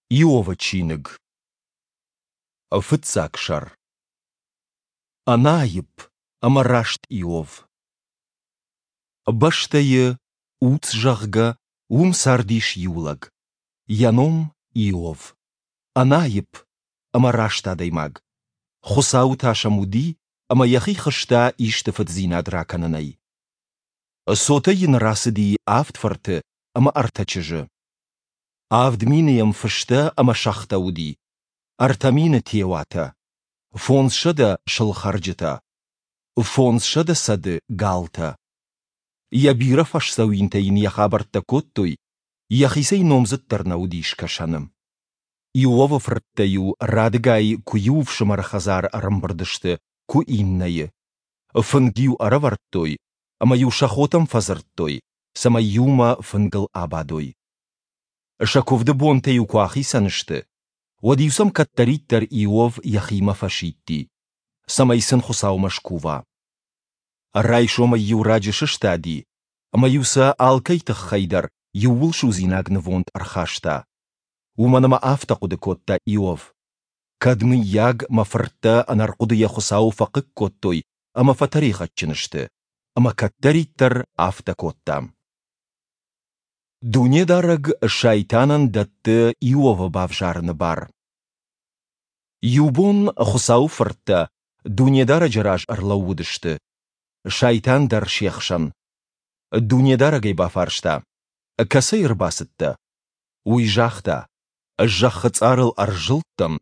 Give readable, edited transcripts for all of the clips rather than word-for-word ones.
Иовы чиныг. Фыццаг сӕр. Ӕнаипп ӕмӕ раст Иов. Бӕстӕйы, Уц, зӕгъгӕ, уым цардис иу лӕг. Йӕ ном Иов. Ӕнаипп ӕмӕ раст адӕймаг. Хуыцауы тас ӕм уыди ӕмӕ йӕхи хызта исты фыддзинад ракӕнынӕй. Цотӕй йын рацыди авд фырты ӕмӕ ӕртӕ чызджы. 7000 йӕм фыстӕ ӕмӕ сӕгътӕ уыди, 3000 теуатӕ, 500 сылхӕрджытӕ, 500 цӕды галтӕ. Йӕ бирӕ фӕсдзӕуинтӕ йын йӕ хабӕрттӕ кодтой, йӕхицӕй номдзыддӕр нӕ уыди скӕсӕны. Иовы фырттӕ-иу радыгай куы иу ӕфсымӕры хӕдзары ӕрӕмбырд сты, куы иннӕйы. Фынг-иу ӕрӕвӕрдтой ӕмӕ-иу сӕ хотӕм фӕдзырдтой, цӕмӕй иумӕ фынгыл абадой. Сӕ куывды бонтӕ-иу куы ахицӕн сты, уӕд-иу сӕм кӕддӕриддӕр Иов йӕхимӕ фӕсидти, цӕмӕй сын Хуыцаумӕ скува. Райсомӕй-иу раджы сыстади, ӕмӕ-иу сӕ алкӕй тыххӕй дӕр иууылсудзинаг нывонд ӕрхаста. Уымӕн ӕмӕ афтӕ хъуыды кодта Иов: Кӕд, мыййаг, мӕ фырттӕ ӕнӕрхъуыдыйӕ Хуыцауы фӕхъыг кодтой ӕмӕ фӕтӕригъӕдджын сты, ӕмӕ кӕддӕриддӕр афтӕ кодта. Дунедарӕг Сайтанӕн дӕтты Иовы бавзарыны бар. Иу бон Хуыцауы фырттӕ Дунедарӕджы раз ӕрлӕууыдысты. Сайтан дӕр се хсӕн. Дунедарӕг ӕй бафарста: «Кӕцӕй ӕрбацыдтӕ?» Уый загъта: «Зӕххы цъарыл ӕрзылдтӕн,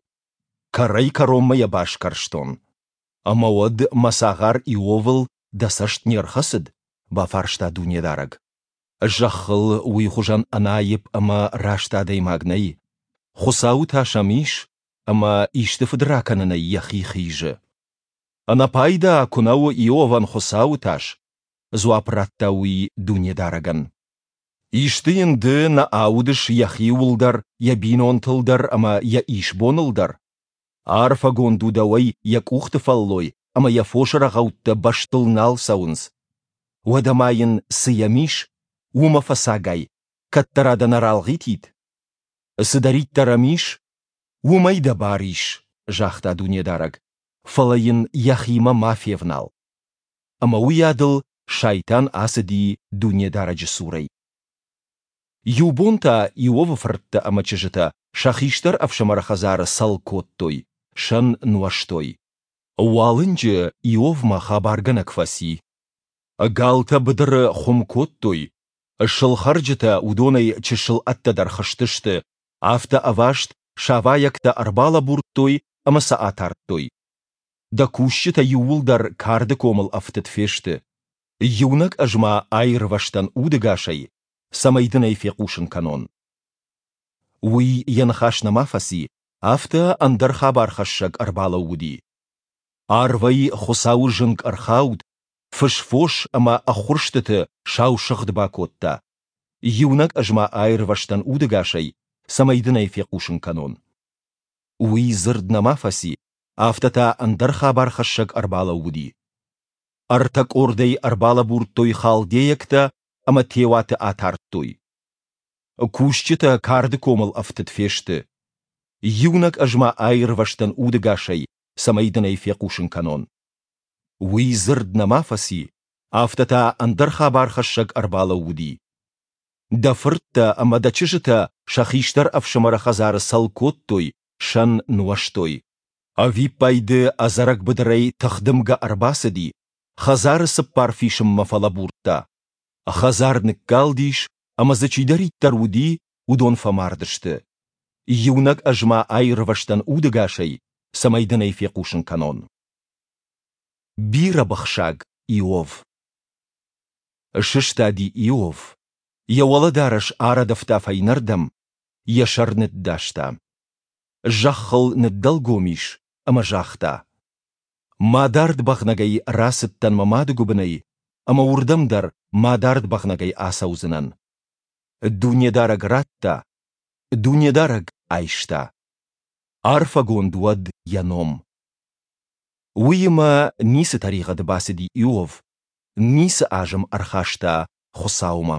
кӕрӕй-кӕронмӕ йӕ басгӕрстон. Ӕмӕ уӕд мӕ цагъар Иовыл дӕ цӕст не рхӕцыд? бафарста Дунедарӕг. Зӕххыл уый хуызӕн ӕнаипп ӕмӕ раст адӕймаг нӕй. Хуыцауы тас ӕм ис, ӕмӕ исты фыд ракӕнынӕй йӕхи хизы. Ӕнӕпайда куы нӕ у Иовӕн Хуыцауы тас, дзуапп радта уый Дунедарӕгӕн. Исты йын ды нӕ аудыс йӕхиуыл дӕр, йӕ бинонтыл дӕр ӕмӕ йӕ исбоныл дӕр? Арфӕгонд у дӕуӕй йӕ къухты фӕллой ӕмӕ йӕ фосы рӕгъӕуттӕ бӕстыл нал цӕуынц. Уӕдӕ ма йын, цы йӕм ис, уымӕ фӕцагай, кӕддӕра дӕ нӕ ралгъитид? Цыдӕриддӕр ӕм ис, уымӕй дӕ бар ис, загъта Дунедарӕг, фӕлӕ йын йӕхимӕ ма февнал. Ӕмӕ уыйадыл Сайтан ацыди Дунедарӕджы цурӕй. Иу бон та Иовы фырттӕ ӕмӕ чызджытӕ сӕ хистӕр ӕфсымӕры хӕдзары цӕл кодтой, сӕн нуӕзтой. Уалынджы Иовмӕ хабаргӕнӕг фӕци. Галтӕ быдыры хуым кодтой, сылхӕрджытӕ уыдонӕй чысыл ӕддӕдӕр хызтысты, афтӕ ӕваст савайӕгтӕ ӕрбалӕбурдтой ӕмӕ сӕ атардтой. Дӕ кусджытӕ иууылдӕр карды комыл ӕфтыд фесты. Иунӕг ӕз ма аирвӕзтӕн удӕгасӕй, цӕмӕй дын ӕй фехъусын кӕнон. Уый йӕ ныхас нӕма фӕци, афтӕ ӕндӕр хабархӕссӕг ӕрбалӕууыди. Арвӕй Хуыцауы зынг ӕрхауд, фыс-фос ӕмӕ ӕххуырстыты сау сыгъд бакодта. Иунӕг ӕз ма аирвӕзтӕн удӕгасӕй, цӕмӕй дын ӕй фехъусын кӕнон. Уый дзырд нӕма фӕци, афтӕ та ӕндӕр хабархӕссӕг ӕрбалӕууыди. Ӕртӕ къордӕй ӕрбалӕбурдтой халдейӕгтӕ ӕмӕ теуаты атардтой. Кусджытӕ карды комыл ӕфтыд фесты. Иунӕг ӕз ма аирвӕзтӕн удӕгасӕй, цӕмӕй дын ӕй фехъусын кӕнон. Уый дзырд нӕма фӕци, афтӕ та ӕндӕр хабархӕссӕг ӕрбалӕууыди. Дӕ фырттӕ ӕмӕ дӕ чызджытӕ сӕ хистӕр ӕфсымӕры хӕдзары цӕл кодтой, сӕн нуӕзтой. Ӕвиппайды ӕдзӕрӕг быдырӕй тыхдымгӕ ӕрбацыди, хӕдзары цыппар фисынмӕ фӕлӕбурдта. Хӕдзар ныккалдис, ӕмӕ дзы чидӕриддӕр уыди, уыдон фӕмард сты. Иунӕг ӕз ма аирвӕзтӕн удӕгасӕй, цӕмӕй дын ӕй фехъусын кӕнон. Бирӕбыхсаг Иов Сыстади Иов, йӕ уӕлӕдарӕс арӕдывта фӕйнӕрдӕм, йӕ сӕр ныддаста. Зӕххыл ныддӕлгом ис ӕмӕ загъта: Мадард бӕгънӕгӕй рацыдтӕн мӕ мады гуыбынӕй, ӕмӕ уырдӕм дӕр мадард бӕгънӕгӕй ацӕудзынӕн. Дунедарӕг радта, Дунедарӕг айста. Арфӕгонд уӕд йӕ ном. Уыимӕ ницы тӕригъӕды бацыди Иов, ницы азым ӕрхаста Хуыцаумӕ.